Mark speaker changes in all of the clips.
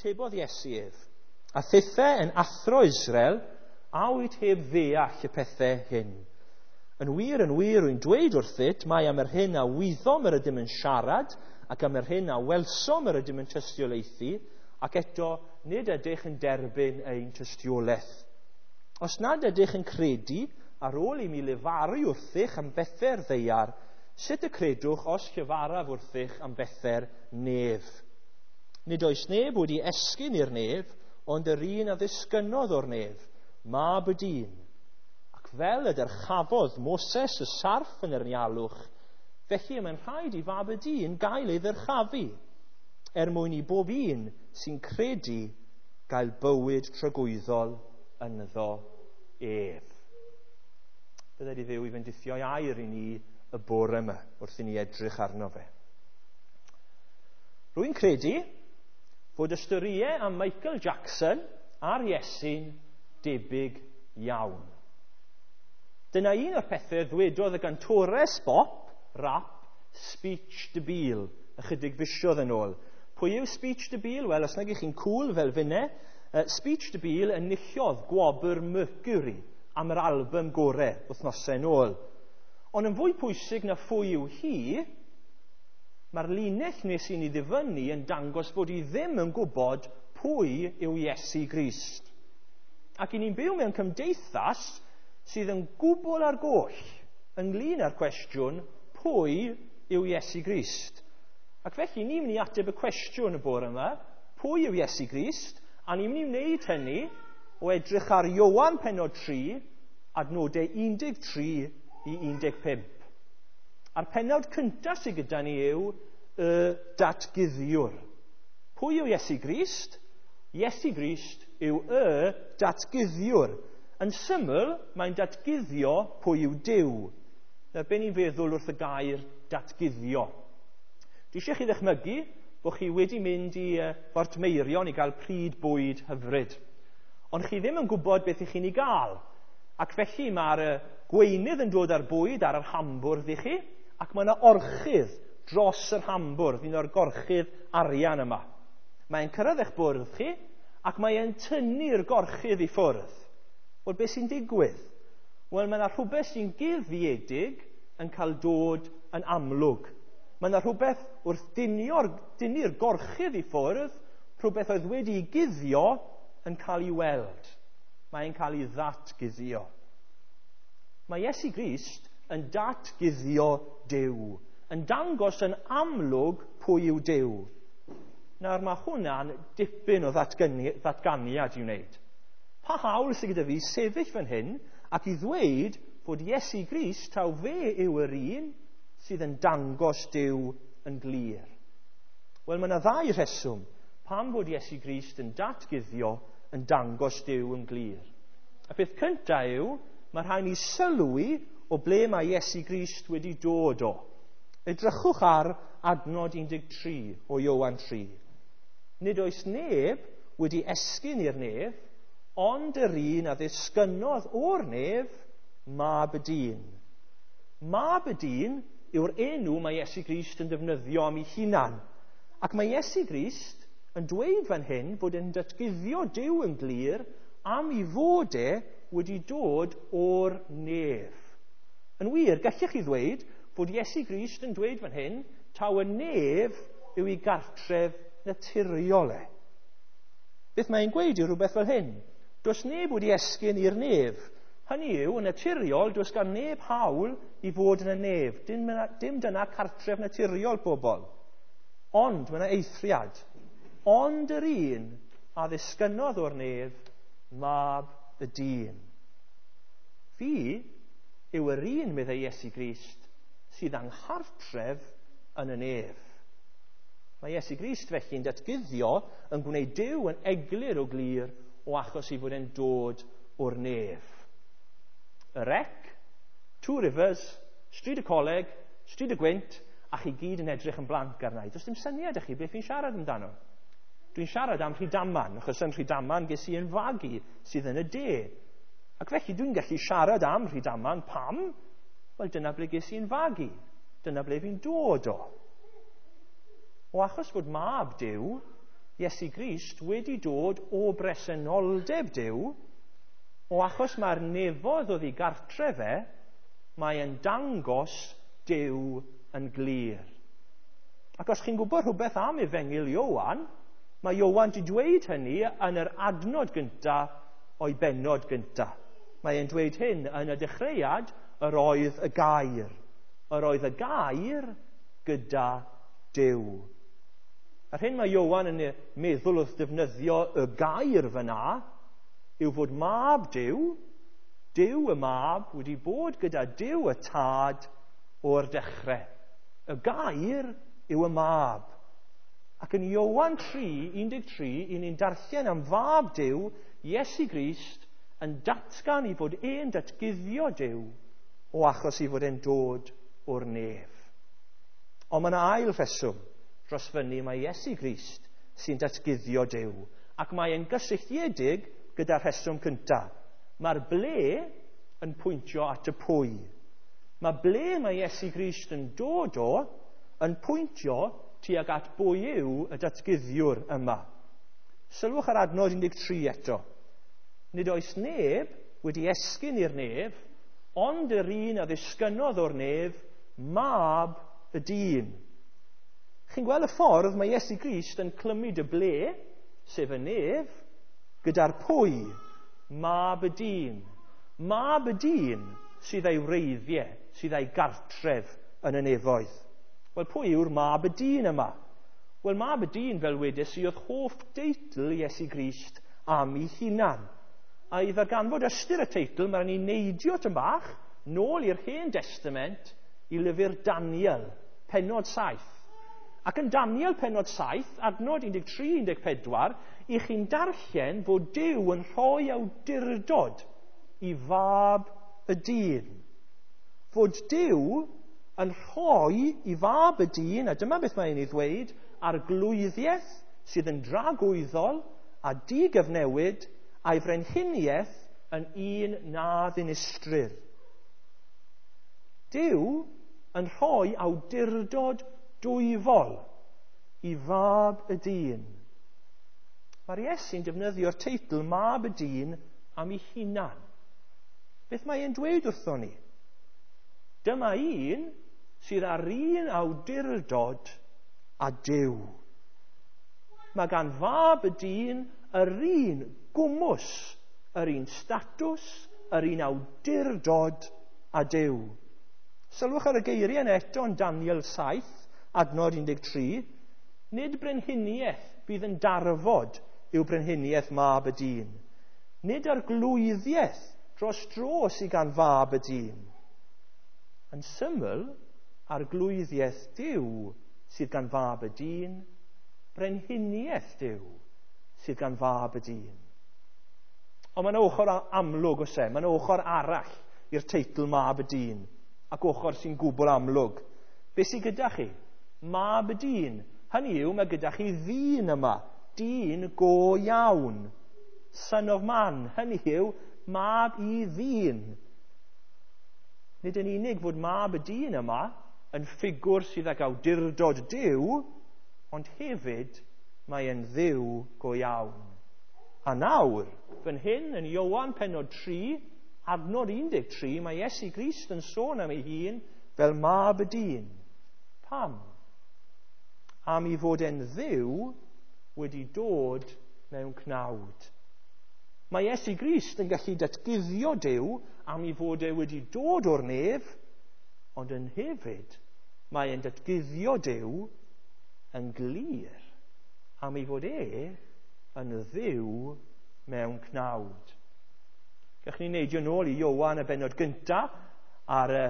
Speaker 1: Atebodd Iesu ef, a thithe yn athro Israel, a wyt heb ddeall y pethau hyn? Yn wir, yn wir, rwy'n dweud wrthyt, mai am yr hyn a wyddom yr ydym yn siarad, ac am yr hyn a welsom yr ydym yn tystiolaethu, ac eto nid ydych yn derbyn ein tystiolaeth. Os nad ydych yn credu, ar ôl i mi lefaru wrthych am bethau'r ddaear, sut y credwch os llefaraf wrthych am bethau'r nef? Nid oes neb wedi esgyn i'r nef, ond yr un a ddisgynnodd o'r nef, Mab y Dyn. Ac fel y dyrchafodd Moses y sarff yn yr anialwch, felly y mae'n rhaid i Fab y Dyn gael ei ddyrchafu, er mwyn i bob un sy'n credu gael bywyd tragwyddol ynddo ef. Bydded i Dduw i fendithio'i air i ni y bore yma wrth i ni edrych arno fe. Rwy'n credu fod y storïau am Michael Jackson a'r Iesu'n debyg iawn. Dyna un o'r pethau ddwedodd y gantores bop, rap, Speech Debile, ychydig fisoedd yn ôl. Pwy yw Speech Debile? Wel, os nag ych chi'n cool fel finne, Speech Debile enillodd gwobr Mercury am yr album gore wythnosau yn ôl. Ond yn fwy pwysig na phwy yw hi, mae'r linell nes i ni ddifynnu yn dangos bod hi ddim yn gwybod pwy yw Iesu Grist. Ac i ni'n byw mewn cymdeithas sydd yn gwbl ar goll ynglyn â'r cwestiwn pwy yw Iesu Grist. Ac felly ni'n mynd i ateb y cwestiwn y bore yma, pwy yw Iesu Grist? A ni'n mynd i wneud hynny o edrych ar Ioan pennod 3, adnodau 13 i 15. A'r pennawd cyntaf sydd gyda ni yw y datguddiwr. Pwy yw Iesu Grist? Iesu Grist yw y datguddiwr. Yn syml, mae'n datguddio pwy yw Duw. Nawr, be ni'n feddwl wrth y gair datguddio? Dwi eisiau chi ddechmygu bod chi wedi mynd i Bortmeirion i gael pryd bwyd hyfryd. Ond chi ddim yn gwybod beth ych chi'n ei gael. Ac felly mae'r gweinydd yn dod â'r bwyd ar yr hambwrdd i chi, ac mae yna orchudd dros yr hambwrdd, un o'r gorchudd arian yma. Mae'n cyrraedd eich bwrdd chi, ac mae'n tynnu'r gorchudd i ffwrdd. Wel, beth sy'n digwydd? Wel, mae yna rhywbeth sy'n guddiedig yn cael dod yn amlwg. Mae yna rhywbeth wrth dynnu'r gorchudd i ffwrdd, rhywbeth oedd wedi'i guddio yn cael ei weld. Mae'n cael ei ddatguddio. Mae Iesu Grist yn datguddio Duw, yn dangos yn amlwg pwy yw Duw. Nawr mae hwnna'n dipyn o ddatganiad i wneud. Pa hawl sydd gyda fi sefyll fan hyn ac i ddweud fod Iesu Grist taw fe yw yr un sydd yn dangos Duw yn glir? Wel, mae yna ddau rheswm pam fod Iesu Grist yn datguddio yn dangos Duw yn glir. Y peth cyntaf yw, mae rhaid ni sylwi o ble mae Iesu Grist wedi dod o. Edrychwch ar adnod 13 o Ioan 3. Nid oes neb wedi esgyn i'r nef, ond yr un a ddisgynnodd o'r nef, Mab y Dyn. Mab y Dyn yw'r enw mae Iesu Grist yn defnyddio am ei hunan. Ac mae Iesu Grist yn dweud fan hyn fod yn datguddio Duw yn glir am ei fod e wedi dod o'r nef. Yn wir, gallech chi ddweud fod Iesu Grist yn dweud fan hyn taw y nef yw ei gartref naturiol e. Beth mae'n gweud yw rhywbeth fel hyn. Does neb wedi esgyn i'r nef. Hynny yw, yn naturiol, does gan neb hawl i fod yn y nef. Dim dyna cartref naturiol pobl. Ond mae yna eithriad. Ond yr un a ddisgynnodd o'r nef, Mab y Dyn. Fi yw yr un, meddai Iesu Grist, sydd anghartref yn y nef. Mae Iesu Grist felly'n datguddio yn gwneud Duw yn eglur o glir o achos ei fod e'n dod o'r nef. Y Rec, Two Rivers, Stryd y Coleg, Stryd y Gwynt, a chi gyd yn edrych yn blanc arna i. Does dim syniad i chi beth fi'n siarad amdano. Dwi'n siarad am Rhydaman, achos yn Rhydaman ges i yn fagu sydd yn y de. Ac felly dwi'n gallu siarad am Rhydaman, pam? Wel, dyna ble ges i'n fagu. Dyna ble fi'n dod o. O achos fod Mab Duw, Iesu Grist wedi dod o bresenoldeb Duw, o achos mae'r nefoedd oedd ei gartref e, mae e'n dangos Duw yn glir. Ac os chi'n gwybod rhywbeth am Efengyl Ioan, mae Ioan wedi dweud hynny yn yr adnod gyntaf o'i bennod gyntaf. Mae e'n dweud hyn yn y dechreuad, yr oedd y gair. Yr oedd y gair gyda Duw. A'r hyn mae Ioan yn meddwl wrth defnyddio y gair fyna yw fod mab Duw, Duw y mab, wedi bod gyda Duw y tad o'r dechrau. Y gair yw y mab. Ac yn Ioan 3:13, i ni'n darllen am fab Duw, Iesu Grist, yn datgan i fod e'n datguddio Duw o achos i fod e'n dod o'r nef. Ond mae yna ail rheswm dros fyny mae Iesu Grist sy'n datguddio Duw, ac mae e'n gysylltiedig gyda'r rheswm cyntaf. Mae'r ble yn pwyntio at y pwy. Mae ble mae Iesu Grist yn dod o yn pwyntio tuag at bwy yw y datguddiwr yma. Sylwch ar adnod 13 eto. Nid oes neb wedi esgyn i'r nef, ond yr un a ddisgynnodd o'r nef, mab y dyn. Chi'n gweld y ffordd mae Iesu Grist yn clymu dy ble, sef y nef, gyda'r pwy, mab y dyn. Mab y dyn sydd ei wreiddiau, sydd ei gartref yn y nefoedd. Wel, pwy yw'r mab y dyn yma? Wel, mab y dyn, fel wedes i, oedd hoff deitl Iesu Grist am ei hunan. A i ddarganfod ystyr y teitl, mae'n ni neidio tyn bach nôl i'r Hen Testament i lyfr Daniel, pennod 7. Ac yn Daniel pennod 7, adnod 13-14, i chi'n darllen fod Duw yn rhoi awdurdod i fab y dyn. Fod Duw yn rhoi i fab y dyn, a dyma beth mae'n ei ddweud, arglwyddiaeth sydd yn dragwyddol a digyfnewid a'i frenhiniaeth yn un na ddinistrir. Duw yn rhoi awdurdod dwyfol i fab y dyn. Mae'r Iesu'n defnyddio'r teitl mab y dyn am ei hunan. Beth mae e'n dweud wrthon ni? Dyma un sydd â'r un awdurdod a Duw. Mae gan fab y dyn yr un gwmws, yr un statws, yr un awdurdod a Duw. Sylwch ar y geiriau yna eto yn Daniel 7, adnod 13. Nid brenhiniaeth bydd yn darfod yw brenhiniaeth mab y dyn. Nid arglwyddiaeth dros dro sydd gan fab y dyn. Yn syml, arglwyddiaeth Duw sydd gan fab y dyn, brenhiniaeth Duw sydd gan fab y dyn. Ond mae'n ochr amlwg oes e, mae'n ochr arall i'r teitl mab y dyn, ac ochr sy'n gwbl amlwg. Be sydd gyda chi? Mab y dyn. Hynny yw, mae gyda chi ddyn yma, dyn go iawn. Son of man, hynny yw, mab i ddyn. Nid yn unig fod mab y dyn yma yn ffigwr sydd ag awdurdod Duw, ond hefyd mae e'n Dduw go iawn. A nawr, fan hyn yn Ioan pennod 3, adnod 13, mae Iesu Grist yn sôn am ei hun fel mab y dyn. Pam? Am ei fod e'n Dduw wedi dod mewn cnawd. Mae Iesu Grist yn gallu datguddio Duw am ei fod e wedi dod o'r nef, ond yn hefyd mae e'n datguddio Duw yn glir am ei fod e yn Dduw mewn cnawd. Gallwn ni neidio nôl i Ioan y bennod gyntaf ar y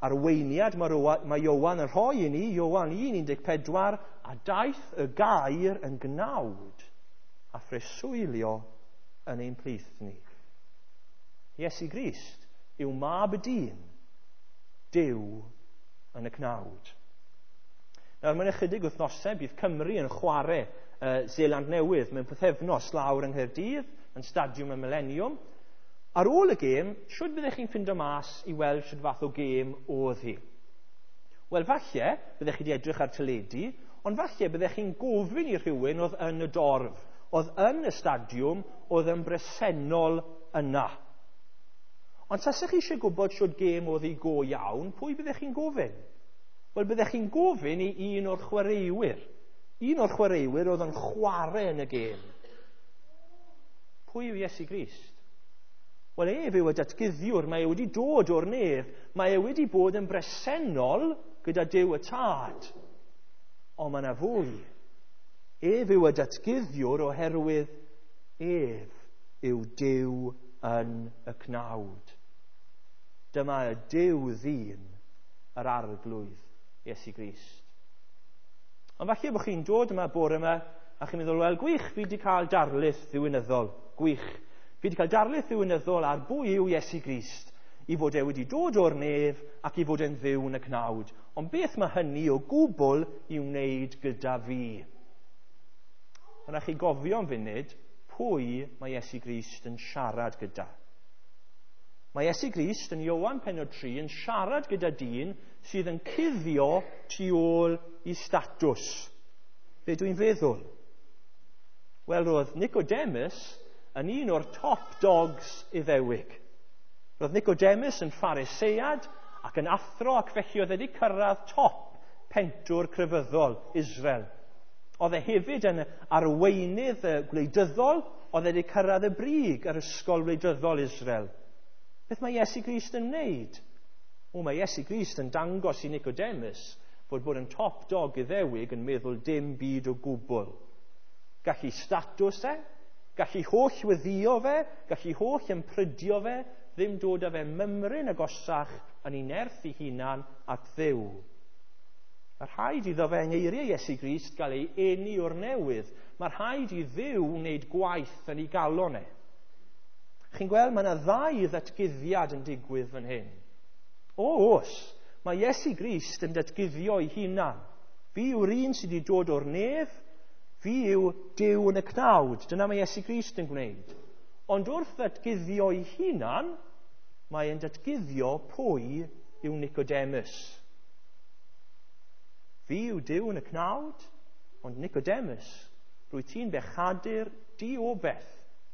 Speaker 1: arweiniad mae Ioan yn rhoi i ni, Ioan 1:14, a daeth y gair yn gnawd a phreswylio yn ein plith ni. Iesu Grist yw mab y dyn, Duw yn y cnawd. Nawr, mewn ychydig wythnosau bydd Cymru yn chwarae Seland Newydd mewn pythefnos lawr yng Nghaerdydd, yn Stadiwm y Millennium. Ar ôl y gêm, shwd byddech chi'n ffindo mas i weld shwd fath o gêm oedd hi? Wel, falle, byddech chi wedi edrych ar teledu, Ond falle byddech chi'n gofyn i rhywun oedd yn y dorf, oedd yn y stadiwm, oedd yn bresennol yna. Ond tasech chi eisiau gwybod shwt gêm oedd hi go iawn, pwy byddech chi'n gofyn? Wel, byddech chi'n gofyn i un o'r chwaraewyr. Un o'r chwaraewyr oedd yn chwarae yn y gêm. Pwy yw Iesu Grist? Wel, ef yw y datguddiwr. Mae e wedi dod o'r nef. Mae e wedi bod yn bresennol gyda Duw y Tad. Ond mae yna fwy. Ef yw y datguddiwr oherwydd ef yw Duw yn y cnawd. Dyma y Duw ddyn, yr Arglwydd Iesu Grist. Ond falle bod chi'n dod yma bore yma a chi'n meddwl, wel, gwych, fi wedi cael darlith ddiwinyddol. Gwych. Fi wedi cael darlith ddiwinyddol ar bwy yw Iesu Grist, i fod e wedi dod o'r nef ac i fod e'n Dduw yn y cnawd. Ond beth mae hynny o gwbl i wneud gyda fi? Ond chi gofio am funud pwy mae Iesu Grist yn siarad gyda. Mae Iesu Grist yn Ioan pennod 3 yn siarad gyda dyn sydd yn cuddio tu ôl i statws. Be dwi'n feddwl? Wel, roedd Nicodemus yn un o'r top dogs Iddewig. Roedd Nicodemus yn Pharisead ac yn athro, ac felly oedd wedi cyrraedd top pentwr crefyddol Israel. Oedd e hefyd yn arweinydd gwleidyddol, oedd wedi cyrraedd y brig yr ysgol wleidyddol Israel. Beth mae Iesu Grist yn wneud? O, mae Iesu Grist yn dangos i Nicodemus fod bod yn top dog Iddewig yn meddwl dim byd o gwbl. Gallu statws e, gallu holl weddio fe, gallu holl ymprydio fe, ddim dod â fe mymryn agosach yn ei nerth ei hunan at Dduw. Mae rhaid iddo fe yng ngeiriau Iesu Grist gael ei eni o'r newydd. Mae rhaid i Dduw wneud gwaith yn ei galon e. Chi'n gweld, mae yna ddau ddatguddiad yn digwydd fan hyn. O, oes, mae Iesu Grist yn datguddio ei hunan. Fi yw'r un sydd wedi dod o'r nef, fi yw Duw yn y cnawd. Dyna mae Iesu Grist yn gwneud. Ond wrth ddatguddio ei hunan, mae e'n datguddio pwy yw Nicodemus. Fi yw Duw yn y cnawd, ond Nicodemus, rwy ti'n bechadur diobeth,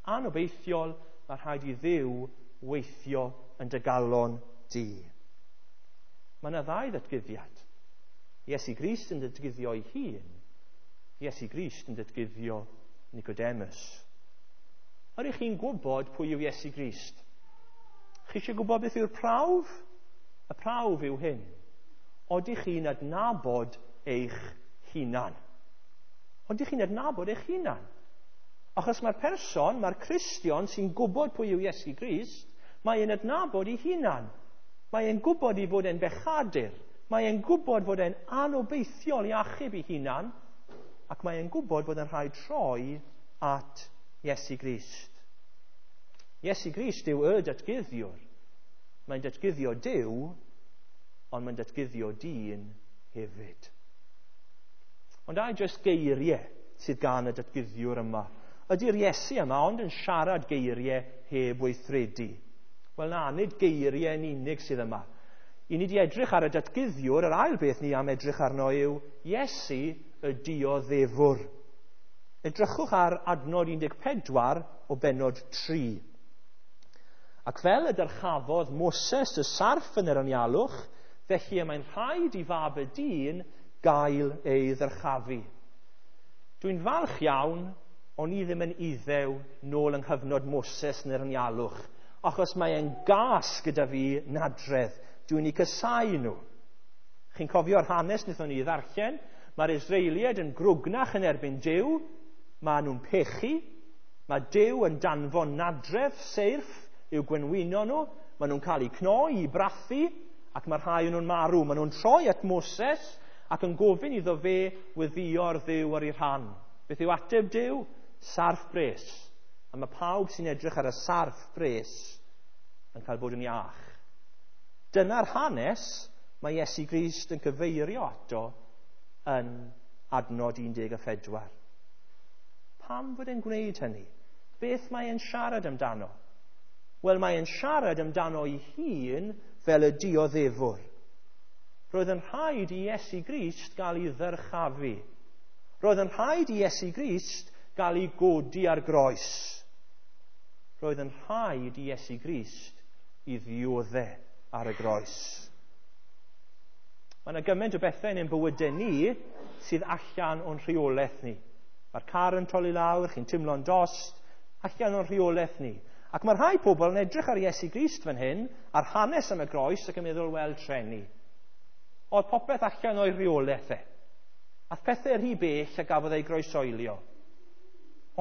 Speaker 1: anobeithiol, mae rhaid i Dduw weithio yn dy galon di. Mae yna ddau ddatguddiad. Iesu Grist yn datguddio ei hun, Iesu Grist yn datguddio Nicodemus. Ydych chi'n gwybod pwy yw Iesu Grist? Chi eisiau gwybod beth yw'r prawf? Y prawf yw hyn. Odych chi'n adnabod eich hunan? Odych chi'n adnabod eich hunan? Achos mae'r person, mae'r Cristion sy'n gwybod pwy yw Iesu Grist, mae e'n adnabod ei hunan. Mae e'n gwybod ei fod e'n bechadur. Mae e'n gwybod fod e'n anobeithiol i achub ei hunan. Ac mae e'n gwybod fod yn rhaid troi at Iesu Grist. Iesu Grist yw y datguddiwr. Mae'n datguddio Duw, ond mae'n datguddio dyn hefyd. Ond ai jyst geiriau sydd gan y datguddiwr yma? Ydy'r Iesu yma ond yn siarad geiriau heb weithredu? Wel na, nid geiriau yn unig sydd yma. I ni wedi edrych ar y datguddiwr, yr ail beth ni am edrych arno yw Iesu y dioddefwr. Edrychwch ar adnod 14 o bennod 3. Ac fel y dyrchafodd Moses y sarff yn yr anialwch, felly y mae'n rhaid i fab y dyn gael ei ddyrchafu. Dwi'n falch iawn, o'n i ddim yn Iddew nôl yng nghyfnod Moses yn yr anialwch, achos mae e'n gas gyda fi nadredd. Dwi'n eu casáu nhw. Chi'n cofio'r hanes wnaethon ni ddarllen? Mae'r Israeliaid yn grwgnach yn erbyn Duw, maen nhw'n pechu, mae Duw yn danfon nadredd seirff i'w gwenwyno nhw, maen nhw'n cael eu cnoi, i brathu, ac mae rhai o'n nhw'n marw. Maen nhw'n troi at Moses ac yn gofyn iddo fe weddïo'r Dduw ar ei rhan. Beth yw ateb Duw? Sarff bres. A mae pawb sy'n edrych ar y sarff bres yn cael bod yn iach. Dyna'r hanes mae Iesu Grist yn cyfeirio ato yn adnod 14. Pam fod e'n gwneud hynny? Beth mae e'n siarad amdano? Wel, mae e'n siarad amdano ei hun fel y dioddefwr. Roedd yn rhaid i Iesu Grist gael ei ddyrchafu. Roedd yn rhaid i Iesu Grist gael ei godi ar groes. Roedd yn rhaid i Iesu Grist i ddiodde ar y groes. Mae yna gymaint o bethau yn ein bywydau ni sydd allan o'n rheolaeth ni. Mae'r car yn torri lawr, chi'n teimlo'n dost, allan o'n rheolaeth ni. Ac mae rhai pobl yn edrych ar Iesu Grist fan hyn, ar hanes am y groes, ac yn meddwl, wel, treni. Oedd popeth allan o'i rheolaeth e. Ath pethau rhy bell a gafodd ei groesoelio.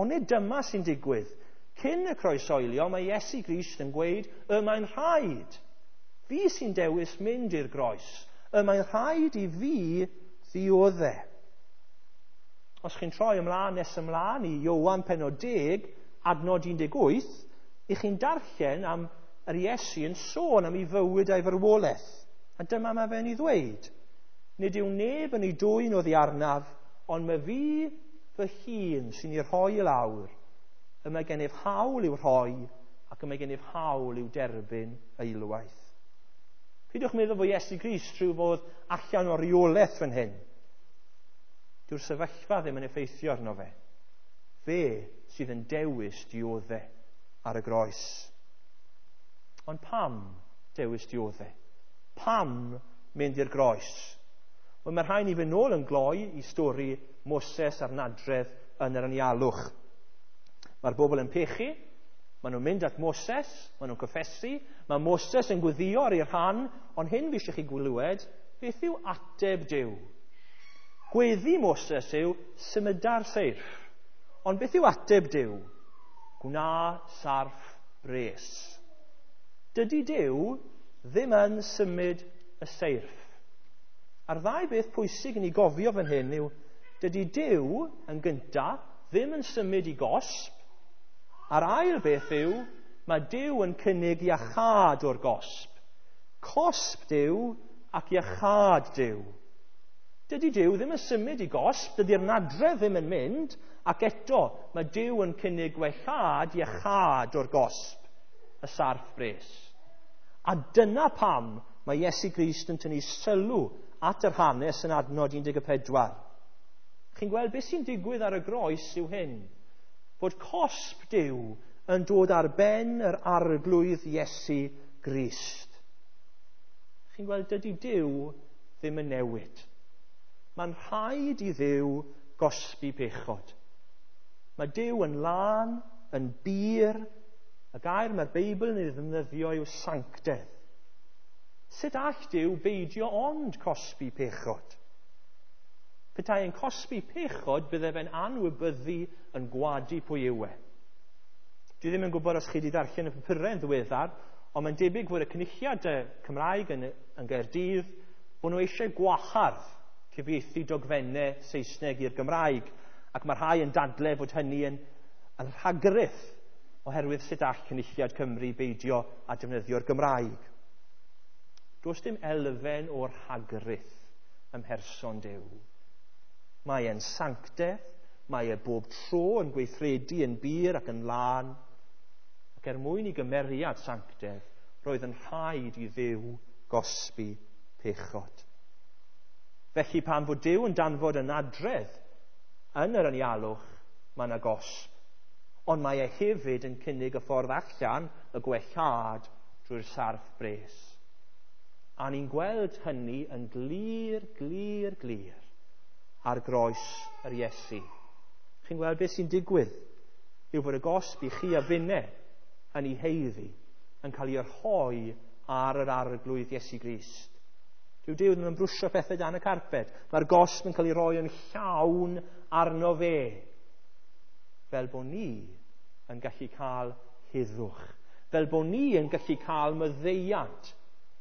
Speaker 1: Ond nid dyma sy'n digwydd. Cyn y croesoelio, mae Iesu Grist yn gweud, y mae'n rhaid. Fi sy'n dewis mynd i'r groes. Y mae'n rhaid i fi ddiodde. Os chi'n troi ymlaen nes ymlaen i Ioan pennod 10, adnod 18, i chi'n darllen am yr Iesu yn sôn am ei fywyd a'i farwolaeth. A dyma mae fe'n ei ddweud. Nid yw neb yn ei dwyn oddi arnaf, ond mae fi fy hun sy'n ei rhoi i lawr. Y mae gennyf hawl i'w rhoi, ac y mae gennyf hawl i'w derbyn eilwaith. Peidiwch meddwl fod Iesu Grist rhyw fodd allan o reolaeth fan hyn. Dyw'r sefyllfa ddim yn effeithio arno fe. Fe sydd yn dewis diodde ar y groes. Ond pam dewis diodde? Pam mynd i'r groes? Wel, mae rhaid ni fynd nôl yn gloi i stori Moses a'r nadredd yn yr anialwch. Mae'r bobl yn pechu, maen nhw'n mynd at Moses, maen nhw'n cyffesu, mae Moses yn gweddio ar ei rhan, ond hyn fi eisiau chi glywed, beth yw ateb Duw? Gweddi Moses yw symuda'r seirff. Ond beth yw ateb Duw? Gwna sarff bres. Dydy Duw ddim yn symud y seirff. A'r ddau beth pwysig i ni gofio fan hyn yw, dydy Duw yn gynta ddim yn symud i gosb, a'r ail beth yw, mae Duw yn cynnig iachâd o'r gosb. Cosb Duw ac iachâd Duw. Dydy Duw ddim yn symud i gosb, dydy'r nadredd ddim yn mynd, ac eto mae Duw yn cynnig gwellhad iachâd o'r gosb, y sarff bres. A dyna pam mae Iesu Grist yn tynnu sylw at yr hanes yn adnod 14. Chi'n gweld beth sy'n digwydd ar y groes yw hyn, bod cosb Duw yn dod ar ben yr arglwydd Iesu Grist. Chi'n gweld, dydy Duw ddim yn newid. Mae'n rhaid i Dduw gosbi pechod. Mae Duw yn lân, yn bur. Y gair mae'r Beibl yn ei ddefnyddio yw sanctedd. Sut all Duw beidio ond cosbi pechod? Petai yn cosbi pechod, bydde fe'n anwybyddu yn gwadu pwy yw e. Dwi ddim yn gwybod os chi wedi darllen y papurau yn ddiweddar, ond mae'n debyg fod y Cynulliad Cymraeg yn Gaerdydd, bod nhw eisiau gwahardd cyfieithu dogfennau Saesneg i'r Gymraeg, ac mae rhai yn dadle fod hynny yn rhagruth oherwydd sut all Cynulliad Cymru beidio a defnyddio'r Gymraeg. Does dim elfen o'r rhagruth ym mherson Duw. Mae e'n sanctedd, mae e bob tro yn gweithredu yn bur ac yn lân, ac er mwyn i gymeriad sanctedd, roedd yn rhaid i Dduw gosbi pechod. Felly pan fod Duw yn danfod y nadredd yn yr anialwch, mae yna gosb. Ond mae e hefyd yn cynnig y ffordd allan, y gwellhad, drwy'r sarff bres. A ni'n gweld hynny yn glir, glir, glir ar groes yr Iesu. Chi'n gweld beth sy'n digwydd yw fod y gosb i chi a finne yn ei heiddi yn cael ei rhoi ar yr arglwydd Iesu Grist. Dyw Duw ddim yn brwsio pethau dan y carped. Mae'r gosb yn cael ei roi yn llawn arno fe. Fel bod ni yn gallu cael heddwch. Fel bod ni yn gallu cael maddeuant.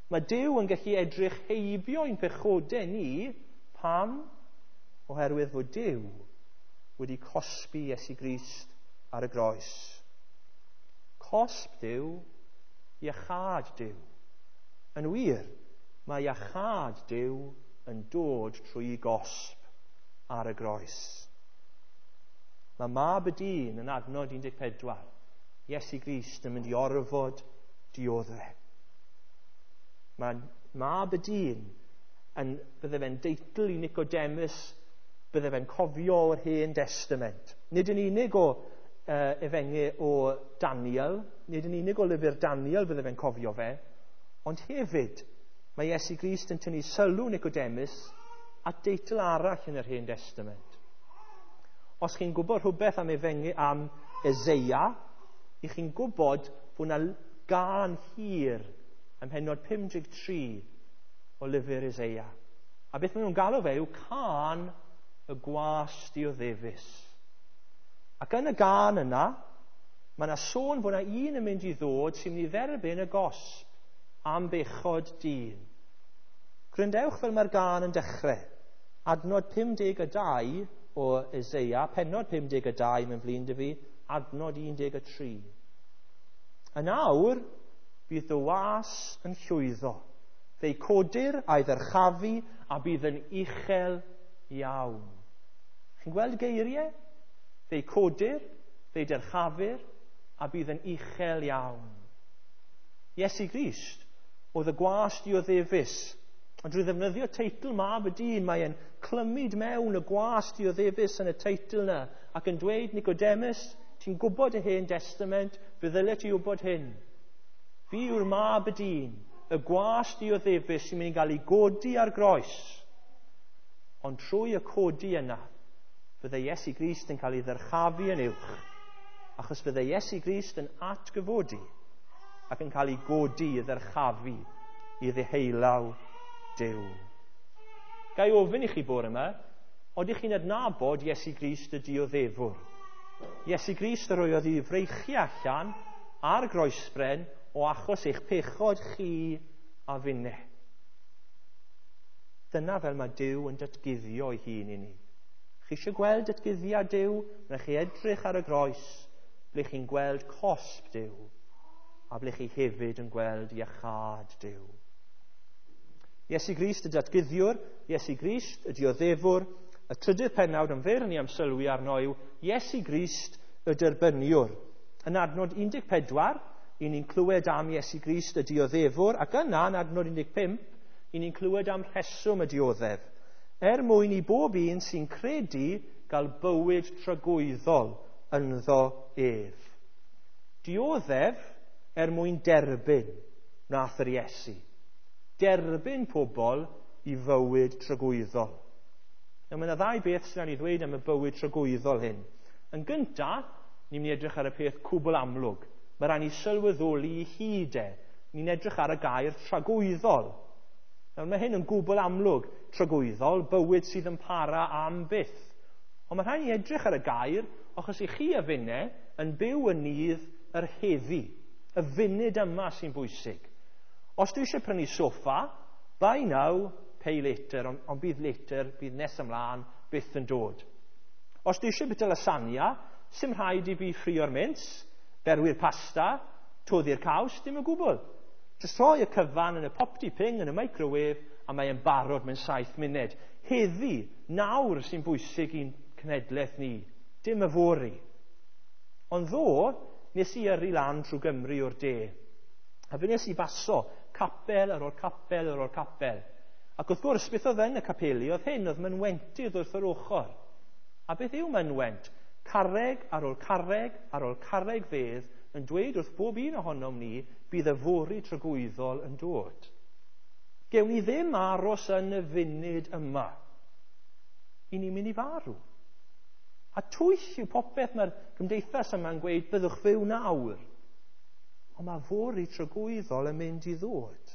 Speaker 1: Mae Duw yn gallu edrych heibio ein pechodau ni. Pam? Oherwydd fod Duw wedi cosbi Iesu Grist ar y groes. Cosb Duw, iachâd Duw. Yn wir, mae iachâd Duw yn dod trwy gosb ar y groes. Mae Mab y Dyn yn adnod 14, Iesu Grist yn mynd i orfod dioddef. Mae Mab y Dyn yn, bydde fe'n deitl i Nicodemus Bydde fe'n cofio o'r Hen Testament. Nid yn unig o efengyl o Daniel, nid yn unig o lyfr Daniel bydde fe'n cofio fe, ond hefyd mae Iesu Grist yn tynnu sylw Nicodemus at deitl arall yn yr Hen Testament. Os chi'n gwybod rhywbeth am efengyl am Eseia, i chi'n gwybod fod yna gân hir ym mhennod 53 o lyfr Eseia. A beth maen nhw'n galw fe yw cân y gwas dioddefus. Ac yn y gân yna, mae yna sôn fod yna un yn mynd i ddod sy'n mynd i dderbyn y gosb am bechod dyn. Gwrandewch fel mae'r gân yn dechrau. Adnod 52 o Eseia, pennod 52 mewn flin dy fi, adnod 13. Yn awr, bydd dy was yn llwyddo. Fe'i codir a'i ddyrchafu a bydd yn uchel iawn. Chi'n gweld geiriau? Fe'i codir, fe'i dyrchafir a bydd yn uchel iawn. Iesu Grist oedd y gwas dioddefus. Ond drwy ddefnyddio teitl Mab y Dyn, mae'n clymyd mewn y gwas dioddefus yn y teitl yna ac yn dweud, Nicodemus, ti'n gwybod y Hen Testament, fe ddylet ti wybod hyn. Fi yw'r Mab y Dyn, y gwas dioddefus sy'n mynd i gael ei godi ar groes. Ond trwy y codi yna, fydde Iesu Grist yn cael ei ddyrchafu yn uwch, achos fydde Iesu Grist yn atgyfodi ac yn cael ei godi i ddyrchafu i ddeheullaw Duw. Ga i ofyn i chi bore yma, odych chi'n adnabod Iesu Grist y dioddefwr? Iesu Grist yr oedd i freichu allan ar groesbren o achos eich pechod chi a finne. Dyna fel mae Duw yn datguddio ei hun i ni. Chi eisiau gweld datguddiad Duw? Rhaid chi edrych ar y groes, ble chi'n gweld cosb Duw, a ble chi hefyd yn gweld iachâd Duw. Iesu Grist y datguddiwr, Iesu Grist y dioddefwr, y trydydd pennawd yn fyr ni am sylwi arno yw Iesu Grist y derbyniwr. Yn adnod 14, i ni'n clywed am Iesu Grist y dioddefwr, ac yna yn adnod 15, i ni'n clywed am rheswm y dioddef. Er mwyn i bob un sy'n credu gael bywyd tragwyddol ynddo ef. Dioddef er mwyn derbyn nath yr Iesu. Derbyn pobl i fywyd tragwyddol. Nawr, mae yna ddau beth sy'n rhaid i ddweud am y bywyd tragwyddol hyn. Yn gyntaf, ni'n mynd i edrych ar y peth cwbl amlwg. Mae rhaid ni sylweddoli i hyd e. Ni'n edrych ar y gair tragwyddol. Nawr, mae hyn yn gwbl amlwg. Tragwyddol, bywyd sydd yn para am byth. Ond mae rhaid ni edrych ar y gair, achos i chi a finne yn byw yn nydd yr heddi. Y funud yma sy'n bwysig. Os dwi eisiau prynu soffa, buy now, pay later, ond bydd later, bydd nes ymlaen, byth yn dod. Os dwi eisiau bwyta lasagna, sy'm rhaid i fi ffrio'r mince, berwi'r pasta, toddi'r caws, dim o gwbl. Jyst rhoi y cyfan yn y popty ping yn y microwave a mae'n barod mewn 7 munud. Heddi, nawr sy'n bwysig i'n cenhedlaeth ni, dim yfory. Ond ddo, nes i yrru lan trwy Gymru o'r de. A fe nes i baso capel ar ôl capel ar ôl capel. Ac wrth gwrs, beth oedd yn y capeli oedd hyn, oedd mynwentydd wrth yr ochr. A beth yw mynwent? Carreg ar ôl carreg ar ôl carreg fedd yn dweud wrth bob un ohonom ni bydd yfory tragwyddol yn dod. Gewn ni ddim aros yn y funud yma. I ni'n mynd i farw. A twyll yw popeth mae'r gymdeithas yma'n gweud byddwch fyw nawr. Ond mae fory tragwyddol yn mynd i ddod.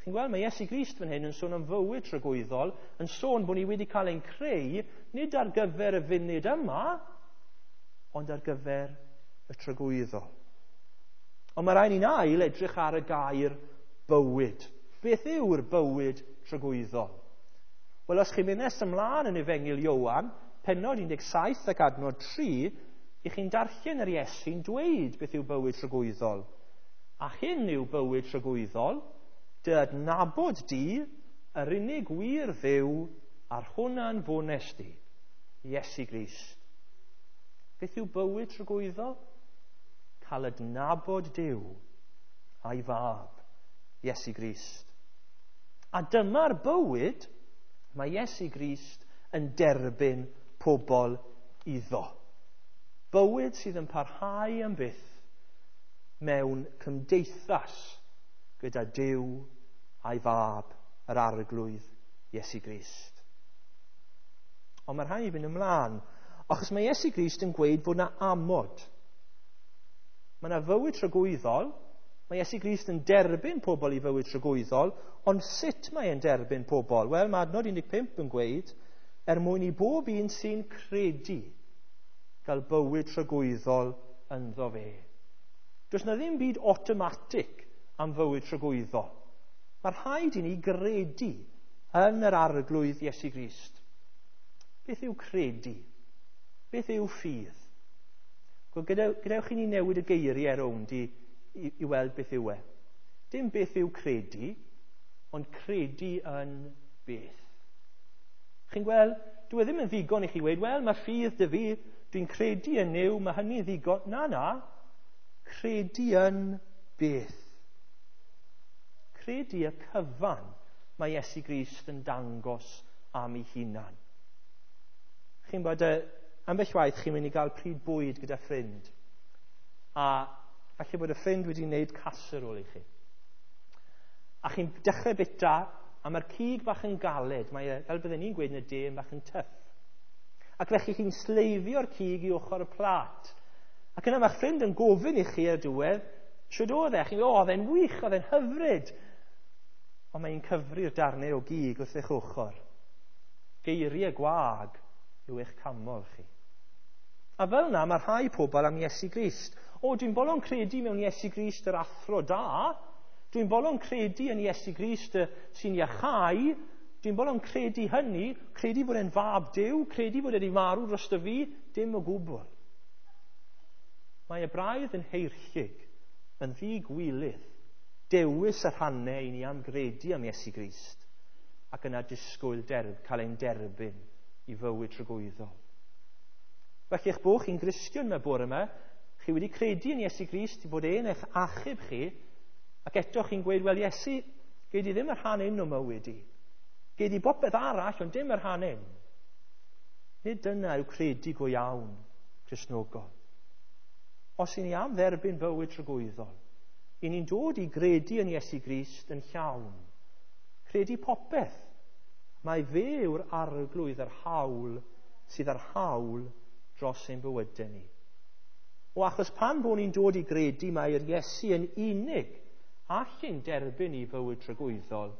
Speaker 1: Chi'n gweld, mae Iesu Grist fan hyn yn sôn am fywyd tragwyddol, yn sôn bod ni wedi cael ein creu, nid ar gyfer y funud yma, ond ar gyfer y tragwyddol. Ond mae rhaid ni'n ail edrych ar y gair bywyd. Beth yw'r bywyd tragwyddol? Wel, os chi'n mynd nes ymlaen yn Efengyl Ioan, pennod 17 ac adnod 3, i chi'n darllen yr Iesu'n dweud beth yw bywyd tragwyddol. A hyn yw bywyd tragwyddol, dy adnabod di, yr unig wir Dduw, a'r hwnna'n fones di, Iesu Grist. Beth yw bywyd tragwyddol? Cael adnabod Duw a'i fab, Iesu Grist. A dyma'r bywyd mae Iesu Grist yn derbyn pobl iddo. Bywyd sydd yn parhau am byth mewn cymdeithas gyda Duw a'i fab, yr Arglwydd Iesu Grist. Ond mae rhaid i fynd ymlaen, achos mae Iesu Grist yn gweud fod yna amod. Mae yna fywyd tragwyddol, mae Iesu Grist yn derbyn pobl i fywyd tragwyddol, ond sut mae e'n derbyn pobl? Wel, mae adnod 15 yn gweud, er mwyn i bob un sy'n credu gael bywyd tragwyddol ynddo fe. Does na ddim byd automatic am fywyd tragwyddol. Mae rhaid i ni gredu yn yr Arglwydd Iesu Grist. Beth yw credu? Beth yw ffydd? Gadewch i ni newid y geiriau rownd i weld beth yw e. Dim beth yw credu, ond credu yn beth. Chi'n gweld, dwi e ddim yn ddigon i chi weud, wel, mae ffydd dy fi, dwi'n credu yn Nuw, mae hynny'n ddigon. Na, na, credu yn beth. Credu y cyfan mae Iesu Grist yn dangos am ei hunan. Chi'n bod, ambell waith chi'n mynd i gael pryd bwyd gyda ffrind. A falle bod y ffrind wedi wneud casserole i chi. A chi'n dechrau bita, a mae'r cig bach yn galed, mae e, fel bydden ni'n gweud yn y de, yn bach yn tyff. Ac felly chi'n sleifio'r cig i ochr y plat. Ac yna mae'ch ffrind yn gofyn i chi ar diwedd, shwd oedd e? Chi'n gweud, o, oedd e'n wych, oedd e'n hyfryd. Ond mae'n cyfri'r darnau o gig wrth eich ochr. Geiriau gwag yw eich camol chi. A fel yna mae rhai pobl am Iesu Grist. O, dwi'n bolon credu mewn Iesu Grist yr athro da. Dwi'n bolon credu yn Iesu Grist sy'n iachau. Dwi'n bolon credu hynny, credu bod e'n fab Duw, credu bod e wedi marw drosto fi, dim o gwbl. Mae y braidd yn heirllug, yn ddigwilydd, dewis y rhannau i ni am gredu am Iesu Grist, ac yna disgwyl cael ein derbyn i fywyd tragwyddol. Felly eich bod chi'n Gristion yma bore yma, chi wedi credu yn Iesu Grist bod e'n eich achub chi, ac eto chi'n gweud, wel Iesu, gei di ddim y rhan un o mywyd i. Gei di bopeth arall, ond dim y rhan un. Nid dyna yw credu go iawn Cristnogol. Os i ni am dderbyn bywyd tragwyddol, i ni'n dod i gredu yn Iesu Grist yn llawn. Credu popeth. Mae fe yw'r arglwydd yr hawl sydd ar hawl dros ein bywydau ni. O achos pan bod ni'n dod i gredu mai'r Iesu yn unig all ein derbyn i fywyd tragwyddol,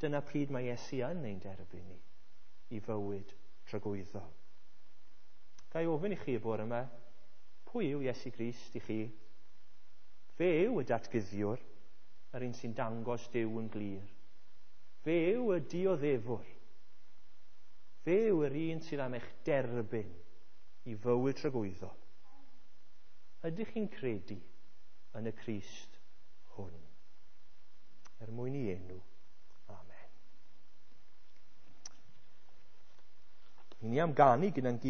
Speaker 1: dyna pryd mae Iesu yn ein derbyn ni i fywyd tragwyddol. Ga i ofyn i chi y bore yma, pwy yw Iesu Grist i chi? Fe yw y datguddiwr, yr un sy'n dangos Duw yn glir. Fe yw y dioddefwr. Fe yw yr un sydd am eich derbyn i fywyd tragwyddol. Ydych chi'n credu yn y Crist hwn? Er mwyn i enw. Amen. I ni am ganu gyda'n gilydd.